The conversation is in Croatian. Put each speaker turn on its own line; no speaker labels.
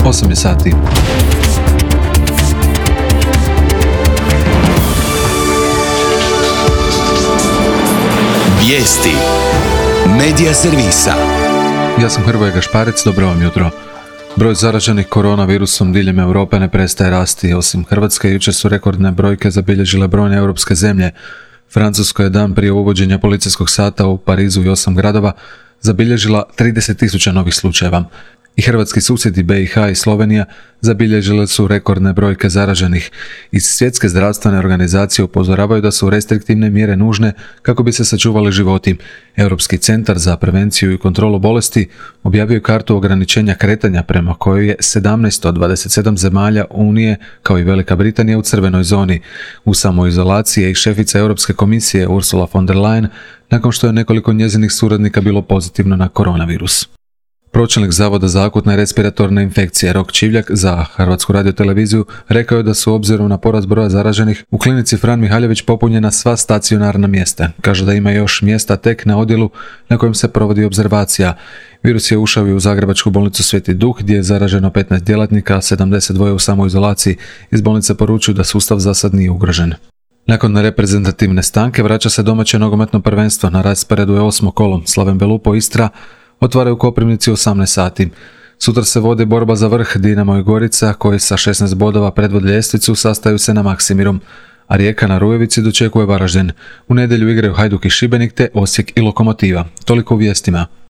8 je sati.
Vijesti Medija servisa.
Ja sam Hrvoje Gašparec, dobro vam jutro. Broj zaraženih koronavirusom diljem Europe ne prestaje rasti. Osim Hrvatske, jučer su rekordne brojke zabilježile brojne europske zemlje. Francuska je dan prije uvođenja policijskog sata u Parizu i 8 gradova zabilježila 30.000 novih slučajeva. I hrvatski susjedi BiH i Slovenija zabilježile su rekordne brojke zaraženih. Iz Svjetske zdravstvene organizacije upozoravaju da su restriktivne mjere nužne kako bi se sačuvali životi. Europski centar za prevenciju i kontrolu bolesti objavio je kartu ograničenja kretanja prema kojoj je 17 od 27 zemalja Unije, kao i Velika Britanija, u crvenoj zoni. U samoizolaciji je i šefica Europske komisije Ursula von der Leyen nakon što je nekoliko njezinih suradnika bilo pozitivno na koronavirus. Pročelnik Zavoda za akutne i respiratorne infekcije Rok Čivljak za Hrvatsku radioteleviziju rekao je da su obzirom na porast broja zaraženih u klinici Fran Mihaljević popunjena sva stacionarna mjesta. Kaže da ima još mjesta tek na odjelu na kojem se provodi obzervacija. Virus je ušao i u Zagrebačku bolnicu Sveti Duh gdje je zaraženo 15 djelatnika, a 72 u samoizolaciji. Iz bolnice poručuju da sustav za sad nije ugrožen. Nakon reprezentativne stanke vraća se domaće nogometno prvenstvo. Na rasporedu je 8. kolo. Slaven Belupo Istra otvaraju Koprivnici u 18 sati. Sutra se vodi borba za vrh. Dinamo i Gorica, koji sa 16 bodova predvode ljestvicu, sastaju se na Maksimirom, a Rijeka na Rujevici dočekuje Varaždin. U nedjelju igraju Hajduk i Šibenik te Osijek i Lokomotiva. Toliko u vijestima.